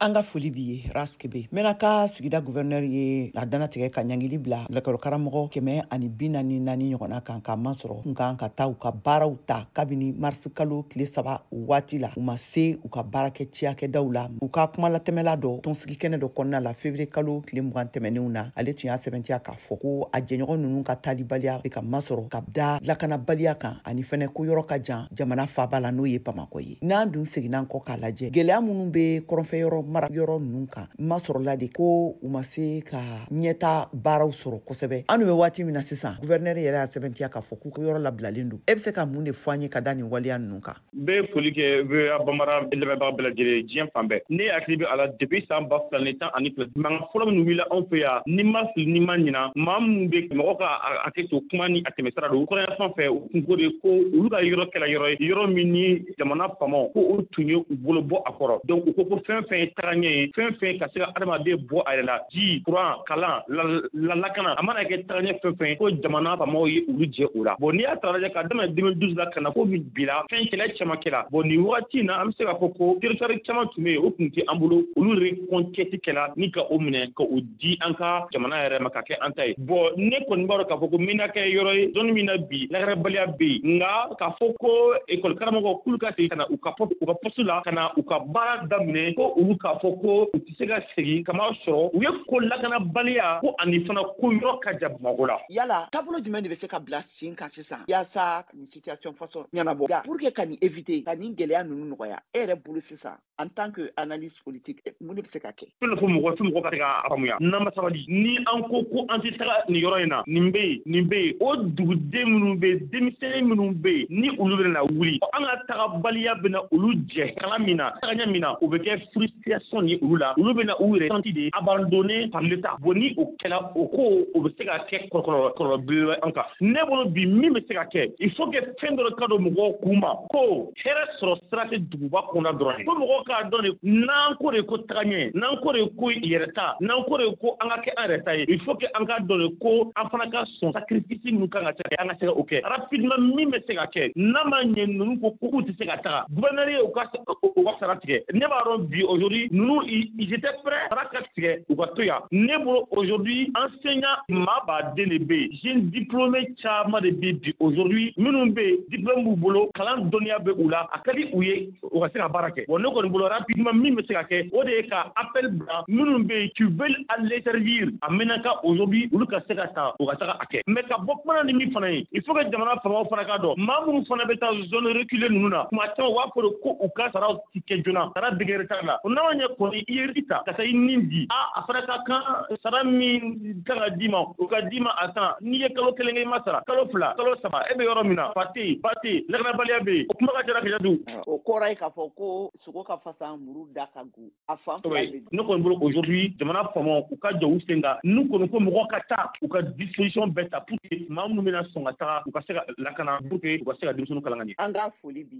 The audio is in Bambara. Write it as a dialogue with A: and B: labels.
A: An ka foli b'i ye, Ras Kebe. Menaka sigida gouverneur ye a dantigɛ ka ɲangili bila lakɔlikaramɔgɔ 144 ɲɔgɔnna kan, k'a masɔrɔ kun kan ka taa u ka baaraw ta kabini marisi kalo tile 3 waati la, u ma se u ka baarakɛ ciyakɛdaw la. U ka kumalatɛmɛla dɔ tɔnsigi kɛnɛ dɔ kɔnɔna la février kalo tile 20 tɛmɛnenw na, ale tun y'a sɛbɛntiya k'a fɔ ko a jɛɲɔgɔn ninnu ka taalibaliya bɛ ka masɔrɔ ka da lakanabaliya kan, ani fɛnɛ ko yɔrɔ ka jan jamana faaba la, n'o ye Bamakɔ ye. N'an dun seginna kɔ k'a lajɛ, gɛlɛya minnu bɛ kɔrɔnfɛ yɔrɔ mara yɔrɔ ninnu kan, masɔrɔla de ko u ma se ka ɲɛta baaraw sɔrɔ kosɛbɛ. An dun bɛ waati min na sisan, gouverneur yɛrɛ y'a sɛbɛntiya k'a fɔ k'u yɔrɔ labilalen don. E bɛ se ka mun de fɔ an ye ka da nin waleya ninnu kan?
B: N bɛ foli kɛ VOA Bambara lamɛnbaga bɛɛ lajɛlen diɲɛ fan bɛɛ. Ne hakili bɛ a la, depuis san 2012, mankan fɔlɔ minnu wulila anw fɛ yan, ni ma fili, ni ma ɲina, maa minnu bɛ mɔgɔ ka hakɛ to kuma ni a tɛmɛsira don kɔrɔya fan fɛ, u kun ko de ko olu ka yɔrɔ kɛla yɔrɔ ye, yɔrɔ min ni jamana faamaw ko o tun ye u bolo bɔ a kɔrɔ. Donc u ko ko fɛn fɛn ye tagaɲɛ ye, fɛn fɛn ka se ka adamaden bɔ a yɛrɛ la, ji, courant, kalan, la lakana, a mana kɛ tagaɲɛ fɛn fɛn, ko jamana faamaw ye olu jɛ o la. Bon, n'i y'a ta lajɛ ka daminɛ 2012 la ka na fo bi la, fɛn kɛlɛ caman kɛra. Bon, nin wagati in na, an bɛ se k'a fɔ ko territoire caman tun bɛ yen, o tun tɛ an bolo, olu reconquête kɛla ni ka o minɛ ka o di an ka jamana yɛrɛ ma ka kɛ an ta ye. Bon, ne kɔni b'a dɔn k'a fɔ ko Menaka ye yɔrɔ ye, zone min na bi lakanabaliya bɛ yen, nka k'a fɔ ko école karamɔgɔ k'olu ka segin ka na u ka poste la, ka na u ka baara daminɛ, ko olu k'a fɔ ko u tɛ se ka segin, kama sɔrɔ u ye ko lakanabaliya ko ani fana ko yɔrɔ ka jan Bamakɔ la.
A: Yala taabolo jumɛn de bɛ se ka bila sen kan sisan yaasa nin situation façon ɲɛnabɔ, pour que ka nin éviter, ka nin gɛlɛya ninnu nɔgɔya, e yɛrɛ bolo sisan, en tant que analyste politique, mun de bɛ se ka kɛ?
B: Fɛn fo mɔgɔ fo mɔgɔ ka se k'a faamuya, n'an ma sabali, ni an ko ko an tɛ taga nin yɔrɔ in na, nin bɛ yen, nin bɛ yen, o duguden minnu bɛ yen, denmisɛnnin minnu bɛ yen, ni olu bɛna wuli, an ka tagabaliya bɛna olu jɛ kalan min na, tagaɲɛ min na, o bɛ kɛ frustration ye olu la. Olu bɛna u yɛrɛ senti de abandonné par l'État. Bon, ni o kɛla, o ko o bɛ se ka kɛ kɔlɔlɔ belebele an kan. Ne bolo bi, min bɛ se ka kɛ, il faut que fɛn dɔ ka don mɔgɔw kun ma ko hɛrɛ sɔrɔ sira tɛ duguba kɔnɔ dɔrɔn ye, ko mɔgɔw k'a dɔn de n'an ko de ko tagaɲɛ, n'an ko de ko yɛrɛta, n'an ko de ko an ka kɛ an yɛrɛ ta ye, il faut que an k'a dɔn de ko an fana ka sɔn sacrifice minnu kan ka kɛ, an ka se ka o kɛ rapidement. Min bɛ se ka kɛ, n'a ma ɲɛ ninnu ko k'u tɛ se ka taga, gouverneur ye u ka sara tigɛ. Ne b'a dɔn bi, aujourd'hui, ninnu, ils étaient prêts sara ka tigɛ, u ka to yan. Ne bolo, aujourd'hui, enseignant maa baden de bɛ yen, jeune diplômé caman de bɛ bi aujourd'hui minnu bɛ yen, diplôme b'u bolo, kalan dɔnniya bɛ u la, a ka di u ye u ka se ka baara kɛ. Bon, ne kɔni bolo, rapidement, min bɛ se ka kɛ, o de ye ka appel bila minnu bɛ yen qui veulent aller servir a Menaka aujourd'hui, olu ka se ka ta, u ka taga a kɛ. Mais ka bɔ kuma na ni min fana ye, il faut que jamana faamaw fana k'a dɔn, maa minnu fana bɛ taa zone reculée ninnu na, tuma caman u b'a fɔ de ko u ka saraw ti kɛ joona, sara bɛ kɛ retard la. N'a ma ɲɛ kɔni i ye risque ta ka taa i nin di, a fana ka kan sara min kan ka d'i ma, o ka d'i ma a temps. N'i ye kalo 1 kɛ i ma sara, kalo 2, kalo 3, e bɛ yɔrɔ min na, fa tɛ yen, ba tɛ yen, lakanabaliya bɛ yen, o kuma ka ca Kajatu.
A: O kɔrɔ ye k'a fɔ ko sogo ka fasa, muru da ka go, a fan fila bɛ.
B: Ne kɔni bolo, aujourd'hui, jamana faamaw u ka jɔ u sen kan, n'u kɔni ko mɔgɔ ka taa, u ka disposition bɛɛ ta pour que maa minnu bɛna sɔn ka taga, u ka se ka lakana, pour que u ka se ka denmisɛnninw kalan ka ɲɛ.
A: An ka foli bi.